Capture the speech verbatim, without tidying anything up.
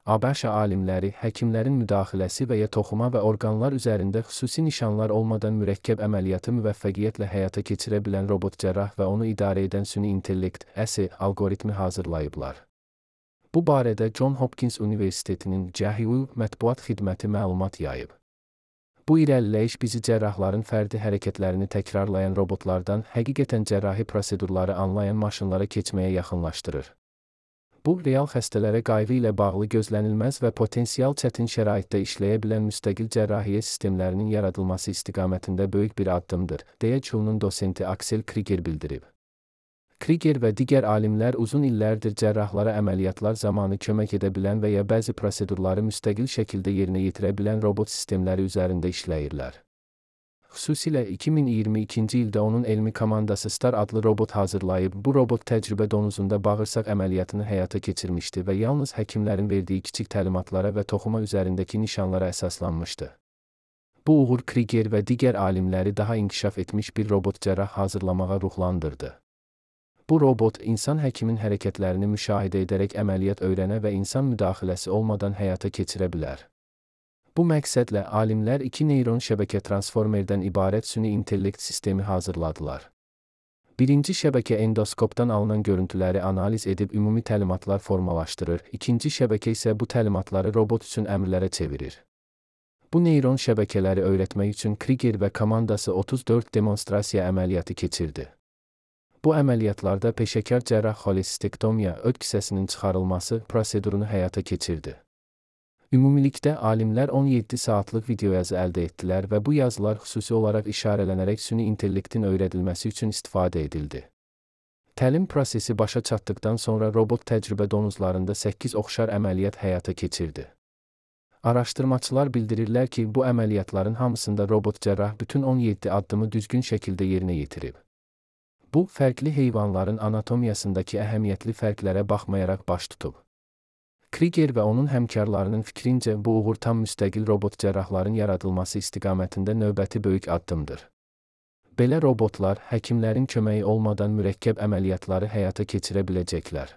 ABŞ alimləri həkimlərin müdaxiləsi və ya toxuma və orqanlar üzərində xüsusi nişanlar olmadan mürəkkəb əməliyyatı müvəffəqiyyətlə həyata keçirə bilən robot cərrah və onu idarə edən süni intellekt (S) alqoritmi hazırlayıblar. Bu barədə John Hopkins Universitetinin C H U mətbuat xidməti məlumat yayıb. Bu irəliləyiş bizi cərrahların fərdi hərəkətlərini təkrarlayan robotlardan həqiqətən cərrahi prosedurları anlayan maşınlara keçməyə yaxınlaşdırır. Bu, real xəstələrə qayğı ilə bağlı gözlənilməz və potensial çətin şəraitdə işləyə bilən müstəqil cərrahiyyə sistemlərinin yaradılması istiqamətində böyük bir addımdır, deyə C H U-nun dosenti Axel Krieger bildirib. Krieger və digər alimlər uzun illərdir cərrahlara əməliyyatlar zamanı kömək edə bilən və ya bəzi prosedurları müstəqil şəkildə yerinə yetirə bilən robot sistemləri üzərində işləyirlər. Xüsusilə iki min iyirmi ikinci ildə onun elmi komandası Star adlı robot hazırlayıb, bu robot təcrübə donuzunda bağırsaq əməliyyatını həyata keçirmişdi və yalnız həkimlərin verdiyi kiçik təlimatlara və toxuma üzərindəki nişanlara əsaslanmışdı. Bu uğur Krieger və digər alimləri daha inkişaf etmiş bir robot cərrah hazırlamağa ruhlandırdı. Bu robot, insan həkimin hərəkətlərini müşahidə edərək əməliyyat öyrənə və insan müdaxiləsi olmadan həyata keçirə bilər. Bu məqsədlə alimlər iki neyron şəbəkə transformerdən ibarət süni intellekt sistemi hazırladılar. Birinci şəbəkə endoskopdan alınan görüntüləri analiz edib ümumi təlimatlar formalaşdırır, ikinci şəbəkə isə bu təlimatları robot üçün əmrlərə çevirir. Bu neyron şəbəkələri öyrətmək üçün Krieger və komandası otuz dörd demonstrasiya əməliyyatı keçirdi. Bu əməliyyatlarda peşəkar cərrah xolestektomiya, öd kisəsinin çıxarılması prosedurunu həyata keçirdi. Ümumilikdə alimlər on yeddi saatlıq videoyazı əldə etdilər və bu yazılar xüsusi olaraq işarələnərək süni intellektin öyrədilməsi üçün istifadə edildi. Təlim prosesi başa çatdıqdan sonra robot təcrübə donuzlarında səkkiz oxşar əməliyyat həyata keçirdi. Araşdırmaçılar bildirirlər ki, bu əməliyyatların hamısında robot cərrah bütün on yeddi addımı düzgün şəkildə yerinə yetirib. Bu, fərqli heyvanların anatomiyasındakı əhəmiyyətli fərqlərə baxmayaraq baş tutub. Krieger və onun həmkarlarının fikrincə bu uğur tam müstəqil robot cərrahların yaradılması istiqamətində növbəti böyük addımdır. Belə robotlar həkimlərin köməyi olmadan mürəkkəb əməliyyatları həyata keçirə biləcəklər.